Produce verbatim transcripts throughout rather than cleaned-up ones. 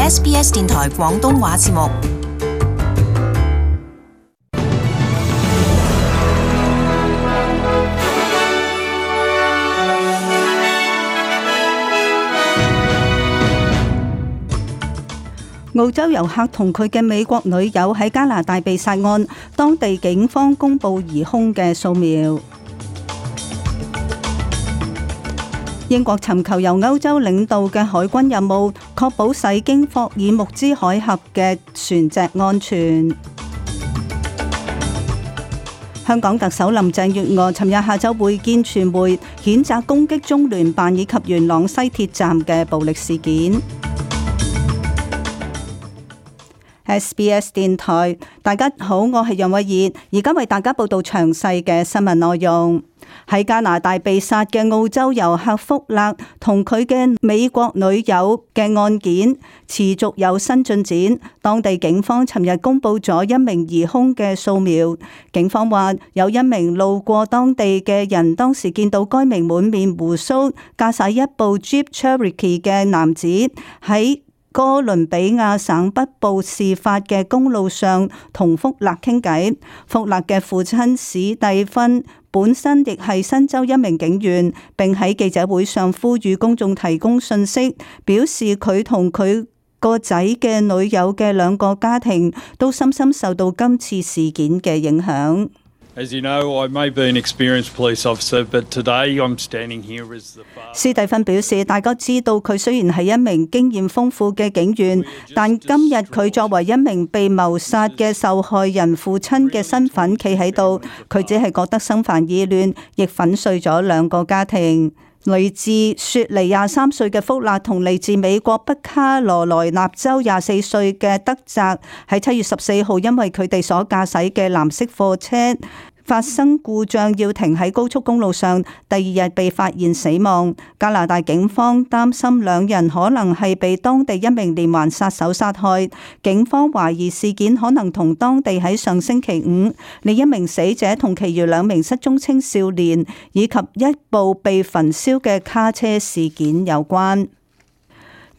S B S 電台廣東話節目。澳洲遊客同佢嘅美國女友喺加拿大被殺案，當地警方公布疑兇嘅數秒。英國尋求由歐洲領導嘅海軍任務，確保駛經霍爾木茲海峽嘅船隻安全。香港特首林鄭月娥尋日下晝會見傳媒，譴責攻擊中聯辦以及元朗西鐵站嘅暴力事件。S B S 電台，大家好，我係楊慧儀，而家為大家報道詳細嘅新聞內容。喺加拿大被殺嘅澳洲遊客福勒同佢嘅美國女友嘅案件持續有新進展，當地警方尋日公布咗一名疑兇嘅數秒。警方話有一名路過當地嘅人當時見到該名滿面鬍鬚、駕駛一部 Jeep Cherokee 嘅男子喺哥倫比亞省北部事發嘅公路上同福勒傾偈。福勒嘅父親史蒂芬本身亦係新州一名警員，並喺記者會上呼籲公眾提供信息，表示佢同佢個仔嘅女友嘅兩個家庭都深深受到今次事件嘅影響。As you know, I may be an experienced police officer, but today I'm standing here as the father. 史蒂芬表示，大家知道佢雖然係一名經驗豐富嘅警員，但今日佢作為一名被謀殺嘅受害人父親嘅身份企喺度，佢只係覺得心煩意亂，亦粉碎咗兩個家庭。嚟自雪梨廿三歲嘅福勒同嚟自美國北卡羅來納州廿四歲嘅德澤喺七月十四號，因為佢哋所駕駛嘅藍色貨車發生故障，要停喺高速公路上，第二日被發現死亡。加拿大警方擔心兩人可能係被當地一名連環殺手殺害，警方懷疑事件可能同當地喺上星期五另一名死者同其餘兩名失蹤青少年以及一部被焚燒嘅卡車事件有關。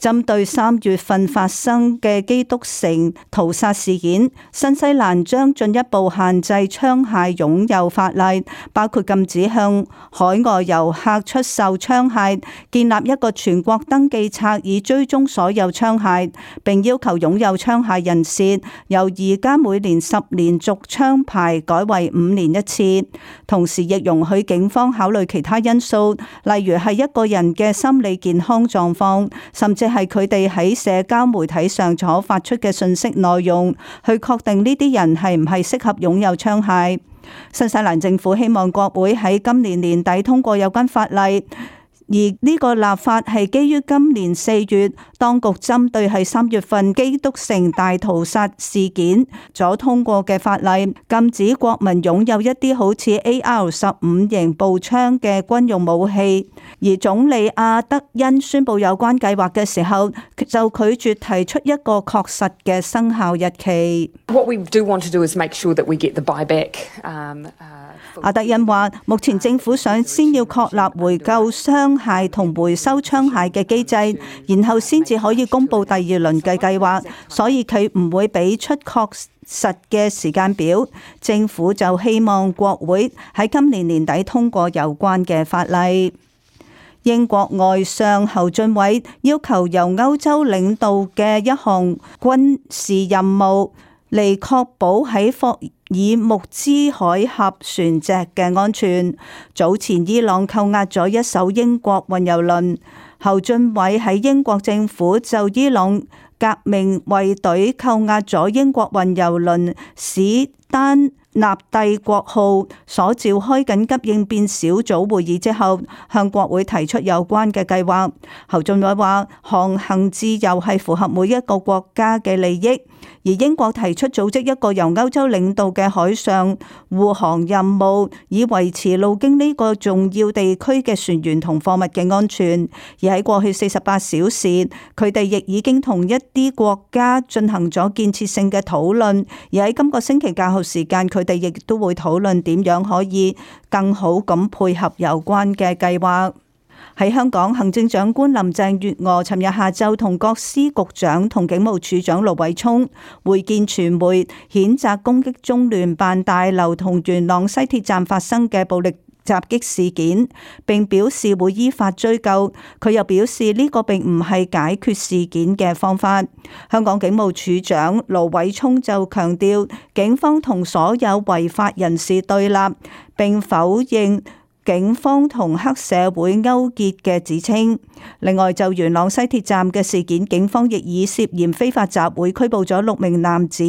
針對三月份發生嘅基督城屠殺事件，新西蘭將進一步限制槍械擁有法例，包括禁止向海外遊客出售槍械，建立一個全國登記冊以追蹤所有槍械，並要求擁有槍械人士由而家每年十年續槍牌改為五年一次。同時亦容許警方考慮其他因素，例如係一個人嘅心理健康狀況，甚至係佢哋喺社交媒體上所發出嘅信息內容，去確定呢啲人係唔係適合擁有槍械。新西蘭政府希望國會喺今年年底通過有關法例。而呢個立法係基於今年四月當局針對係三月份基督城大屠殺事件所通過嘅法例，禁止國民擁有一啲好似 A R 十五 型步槍嘅軍用武器。而總理阿德恩宣布有關計劃嘅時候，就拒絕提出一個確實嘅生效日期。What we do want to do is make sure that we get the buyback. Um, uh, 阿德恩話：目前政府想先要確立回購槍械同回收槍械嘅機制，然後先至可以公布第二輪嘅計劃，所以佢唔會俾出確實嘅時間表。政府就希望國會喺今年年底通過有關嘅法例。英國外相侯俊偉要求由歐洲領導嘅一項軍事任務嚟確保喺霍爾木茲海峽船隻嘅安全。早前伊朗扣押咗一艘英國運油輪，侯俊偉喺英國政府就伊朗革命衛隊扣押咗英國運油輪史丹納帝國號所召開緊急應變小組會議之後，向國會提出有關嘅計劃。侯俊偉話：航行自由係符合每一個國家嘅利益。而英國提出組織一個由歐洲領導嘅海上護航任務，以維持路經呢個重要地區嘅船員同貨物嘅安全。而喺過去四十八小時，佢哋亦已經同一啲國家進行咗建設性嘅討論。而喺今個星期較後時間，佢哋亦都會討論點樣可以更好咁配合有關嘅計劃。喺香港，行政長官林鄭月娥尋日下晝同各司局長同警務處長盧偉聰會見傳媒，譴責攻擊中聯辦大樓同元朗西鐵站發生嘅暴力襲擊事件，並表示會依法追究。佢又表示呢個並唔係解決事件嘅方法。香港警務處長盧偉聰就強調，警方同所有違法人士對立，並否認警方同黑社會勾結嘅指稱。另外，就元朗西鐵站嘅事件，警方亦以涉嫌非法集會拘捕咗六名男子，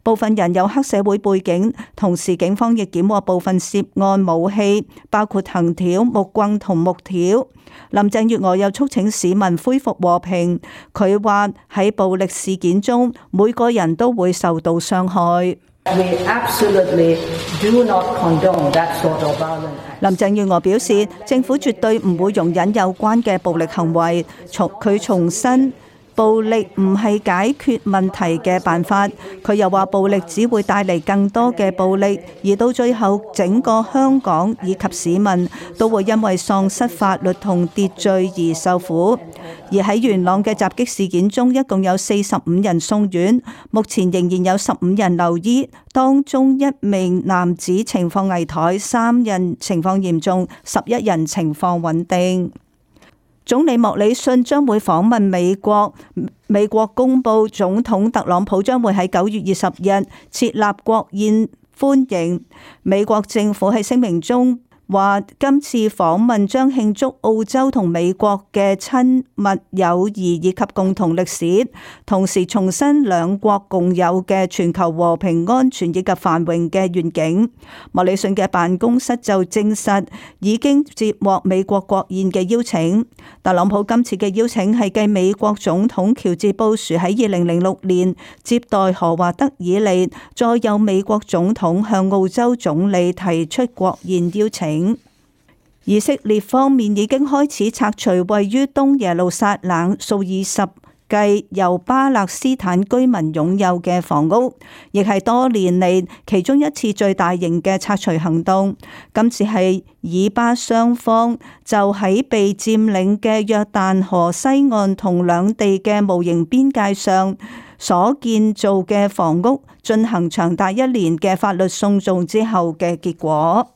部分人有黑社會背景。同時，警方亦檢獲部分涉案武器，包括藤條、木棍同木條。林鄭月娥又促請市民恢復和平。佢話喺暴力事件中，每個人都會受到傷害。We absolutely do not condone that sort of violence. 林鄭月娥表示，政府絕對唔會容忍有關嘅暴力行為。從佢重申，暴力唔係解決問題嘅辦法。佢又話，暴力只會帶嚟更多嘅暴力，而到最後，整個香港以及市民都會因為喪失法律同秩序而受苦。而喺元朗嘅襲擊事件中，一共有四十五人送院，目前仍然有十五人留醫，當中一名男子情況危殆，三人情況嚴重，十一人情況穩定。總理莫里遜將會訪問美國，美國公布總統特朗普將會喺九月二十日設立國宴歡迎。美國政府喺聲明中話，今次訪問將慶祝澳洲同美國嘅親密友誼以及共同歷史，同時重申兩國共有嘅全球和平安全以及繁榮嘅願景。莫里遜嘅辦公室就證實已經接獲美國國宴嘅邀請。特朗普今次嘅邀請係繼美國總統喬治布殊喺二零零六年接待何華德以嚟，再有美國總統向澳洲總理提出國宴邀請。以色列方面已經開始拆除位於東耶路撒冷數以十計由巴勒斯坦居民擁有嘅房屋，亦係多年嚟其中一次最大型嘅拆除行動。今次係以巴雙方就喺被佔領嘅約旦河西岸同兩地嘅無形邊界上所建造嘅房屋進行長達一年嘅法律訴訟之後嘅結果。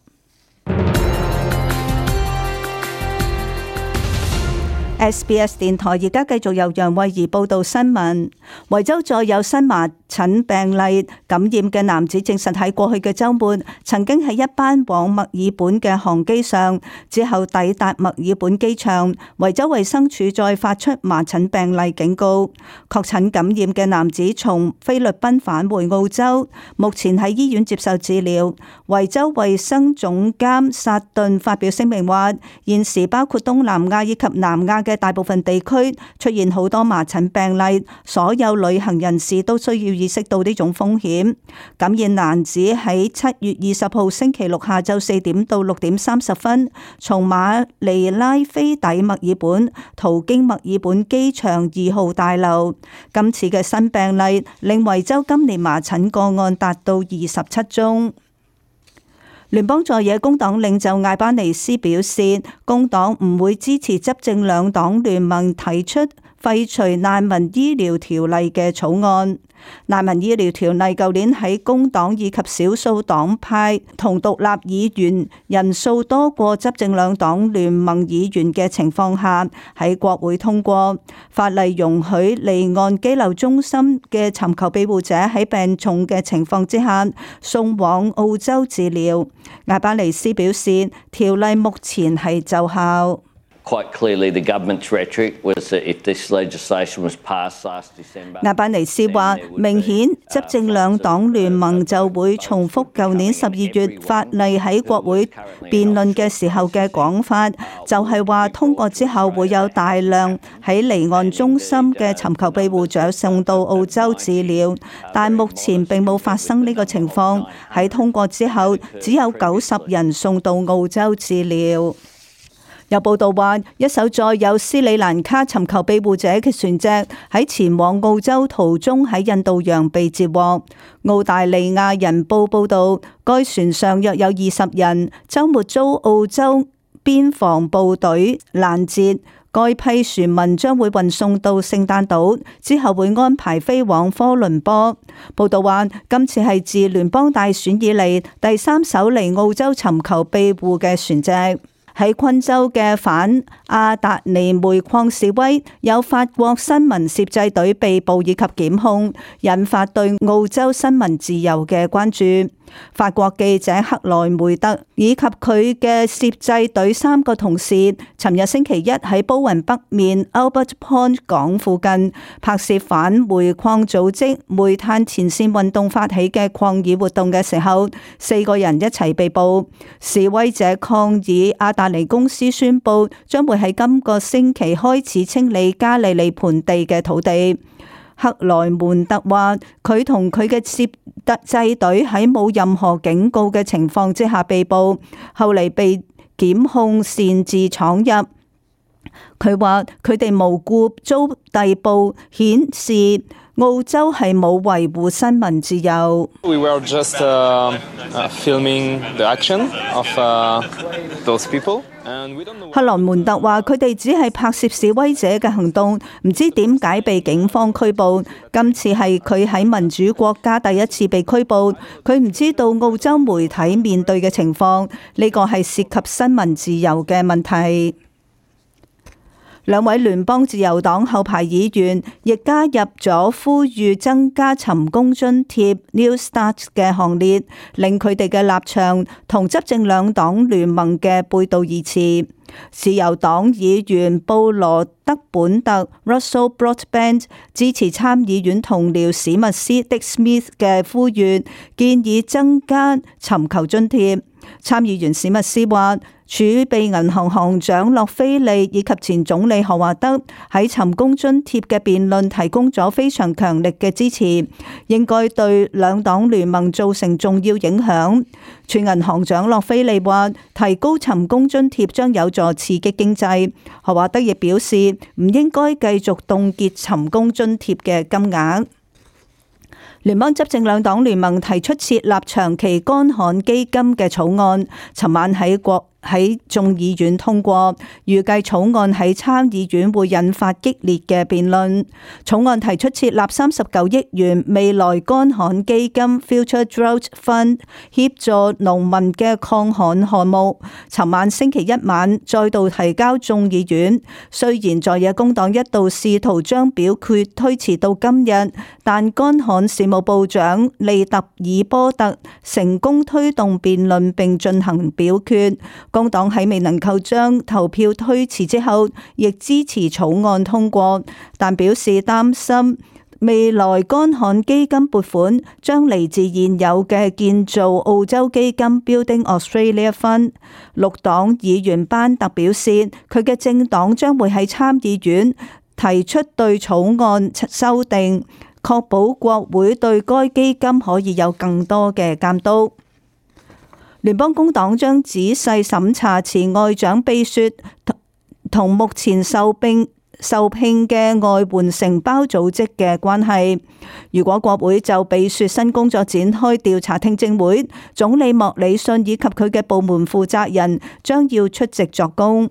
S B S 電台而家繼續由楊慧儀報道新聞。維州再有新麻疹病例，感染嘅男子證實喺過去嘅週末曾經喺一班往墨爾本嘅航機上，之後抵達墨爾本機場。維州衛生署再發出麻疹病例警告。確診感染嘅男子從菲律賓返回澳洲，目前喺醫院接受治療。維州衛生總監薩頓發表聲明話，現時包括東南亞以及南亞嘅大部分地區出現好多麻疹病例，所有旅行人士都需要意識到呢種風險。感染男子喺七月二十號星期六下晝四點到六點三十分從馬尼拉飛抵墨爾本，途經墨爾本機場二號大樓。今次嘅新病例令維州今年麻疹個案達到二十七宗。聯邦在野工黨領袖艾巴尼斯表示，工黨唔會支持執政兩黨聯盟提出廢除難民醫療條例嘅草案。難民醫療條例舊年喺工黨以及少數黨派同獨立議員人數多過執政兩黨聯盟議員嘅情況下喺國會通過。法例容許離岸羈留中心嘅尋求庇護者喺病重嘅情況之下送往澳洲治療。艾巴尼斯表示，條例目前係奏效。Quite clearly, the government's rhetoric was that if this legislation was passed last December, 艾巴尼斯話：明顯執政兩黨聯盟就會重複舊年十二月法例喺國會辯論嘅時候嘅講法，就係話通過之後會有大量喺離岸中心嘅尋求庇護者送到澳洲治療，但目前並冇發生呢個情況。喺通過之後，只有九十人送到澳洲治療。有報道話，一艘載有斯里蘭卡尋求庇護者嘅船隻喺前往澳洲途中喺印度洋被截獲。澳大利亞人報報道，該船上約有二十人，週末遭澳洲邊防部隊攔截。該批船民將會運送到聖誕島，之後會安排飛往科倫坡。報道話，今次係自聯邦大選以嚟第三艘嚟澳洲尋求庇護嘅船隻。喺昆州嘅反阿達尼煤礦示威，有法國新聞攝製隊被捕以及檢控，引發對澳洲新聞自由嘅關注。法國記者克萊梅特以及佢嘅攝製隊三個同事，尋日星期一喺波雲北面 Albert Point 港附近拍攝反煤礦組織煤炭前線運動發起嘅抗議活動嘅時候，四個人一齊被捕。示威者抗議阿達尼公司宣布將會喺今個星期開始清理加利利盆地嘅土地。克萊門特話，佢同佢嘅攝製隊喺冇任何警告嘅情況之下被捕，後嚟被檢控擅自闖入。佢話佢哋無故遭逮捕，顯示澳洲係冇維護新聞自由。We were just uh, uh, filming the action of uh, those people. 克萊門特話：佢哋只係拍攝示威者嘅行動，唔知點解被警方拘捕。今次係佢喺民主國家第一次被拘捕，佢唔知道澳洲媒體面對嘅情況，呢個係涉及新聞自由嘅問題。兩位聯邦自由黨後排議員亦加入咗呼籲增加尋工津貼 New Start 嘅行列，令佢哋嘅立場同執政兩黨聯盟嘅背道而馳。自由黨議員布羅德本特 Russell Broadbent 支持參議院同僚史密斯 Dick Smith 嘅呼籲，建議增加尋求津貼。參議員史密斯話，儲備銀行行長洛菲利以及前總理何華德喺尋工津貼嘅辯論提供咗非常強力嘅支持，應該對兩黨聯盟造成重要影響。前銀行長洛菲利話，提高尋工津貼將有助刺激經濟。何華德亦表示，唔應該繼續凍結尋工津貼嘅金額。聯邦執政兩黨聯盟提出設立長期乾旱基金嘅草案，尋晚喺國喺眾議院通過，預計草案喺參議院會引發激烈嘅辯論。草案提出設立三十九億元未來乾旱基金 Future Drought Fund， 協助農民嘅抗旱項目。尋晚星期一晚再度提交眾議院，雖然在野工黨一度試圖將表決推遲到今日，但乾旱事務部長利特爾波特成功推動辯論並進行表決。工黨喺未能夠將投票推遲之後，亦支持草案通過，但表示擔心未來乾旱基金撥款將嚟自現有嘅建造澳洲基金 Building Australia Fund。綠黨議員班特表示，佢嘅政黨將會喺參議院提出對草案修訂，確保國會對該基金可以有更多嘅監督。聯邦工黨將仔細審查前外長秘書同目前受聘受聘嘅外援承包組織嘅關係。如果國會就秘書新工作展開調查聽證會，總理莫里遜以及佢嘅部門負責人將要出席作供。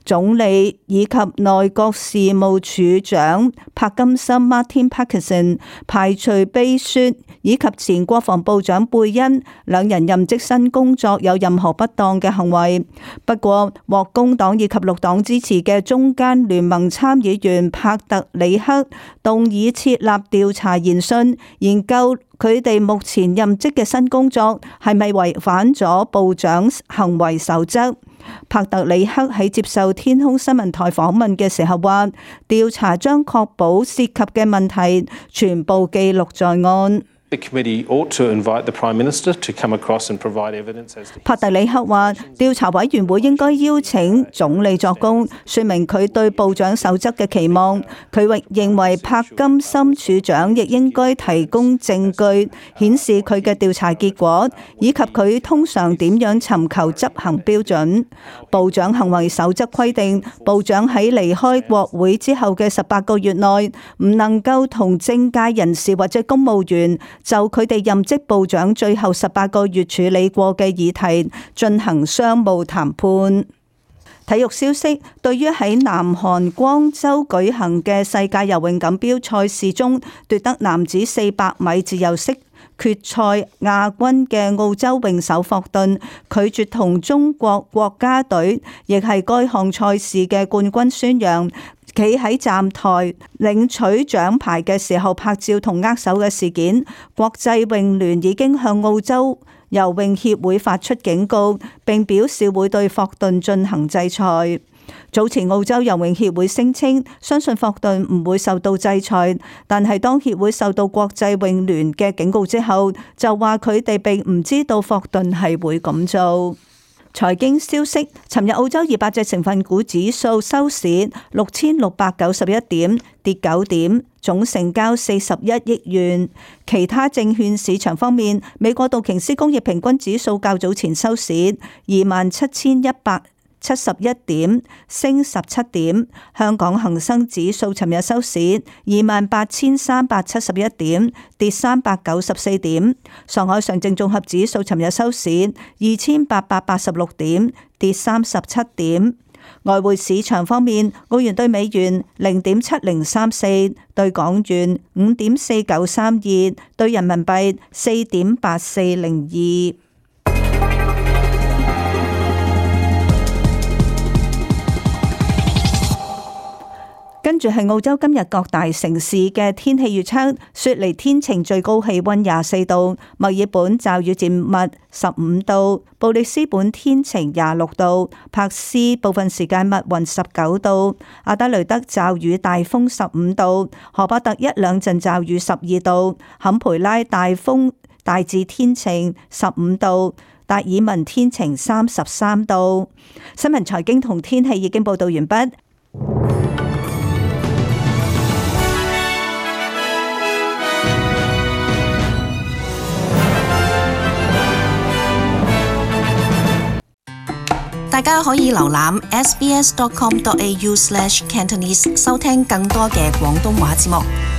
總理以及內閣事務處長柏金森 Martin Parkinson 排除秘書以及前國防部長貝恩兩人任職新工作有任何不當嘅行為。不過獲工黨以及綠黨支持嘅中間聯盟參議員帕特里克動議設立調查研訊，研究佢哋目前任職嘅新工作係咪違反咗部長行為守則。帕特里克喺接受天空新聞台訪問嘅時候話，調查將確保涉及嘅問題全部記錄在案。帕特里克話，調查委員會應該邀請總理作供，說明佢對部長守則嘅期望。佢亦認為柏金森處長亦應該提供證據，顯示佢嘅調查結果，以及佢通常點樣尋求執行標準。部長行為守則規定，部長喺離開國會之後嘅十八個月內，唔能夠同政界人士或者公務員就佢哋任職部長最後十八個月處理過嘅議題進行商務談判。體育消息，對於喺南韓光州舉行嘅世界游泳錦標賽事中奪得男子四百米自由式決賽亞軍嘅澳洲泳手霍頓，拒絕同中國國家隊亦係該項賽事嘅冠軍孫楊企喺站台領取獎牌嘅時候拍照同握手嘅事件，國際泳聯已經向澳洲游泳協會發出警告，並表示會對霍頓進行制裁。早前澳洲游泳協會聲稱相信霍頓唔會受到制裁，但係當協會受到國際泳聯嘅警告之後，就話佢哋並唔知道霍頓係會咁做。財經消息，尋日澳洲二百隻成分股指數收市六千六百九十一點，跌九點，總成交四十一億元。其他證券市場方面，美國道瓊斯工業平均指數較早前收市二萬七千一百七十一點，升十七點。香港恒生指數尋日收市二萬八千三百七十一點，跌三百九十四點。上海上證綜合指數尋日收市二千八百八十六點，跌三十七點。外匯市場方面，澳元對美元零點七零三四，對港元五點四九三二，對人民幣四點八四零二。跟住係澳洲今日各大城市嘅天氣預測：雪梨天晴，最高氣溫廿四度；墨爾本驟雨漸密十五度；布里斯本天晴廿六度；珀斯部分時間密雲十九度；阿德雷德驟雨大風十五度；荷伯特一兩陣驟雨十二度；坎培拉大風大致天晴十五度；達爾文天晴三十三度。新聞財經同天氣已經報道完畢。大家可以瀏覽 s b s dot com dot a u slash cantonese 收聽更多嘅廣東話節目。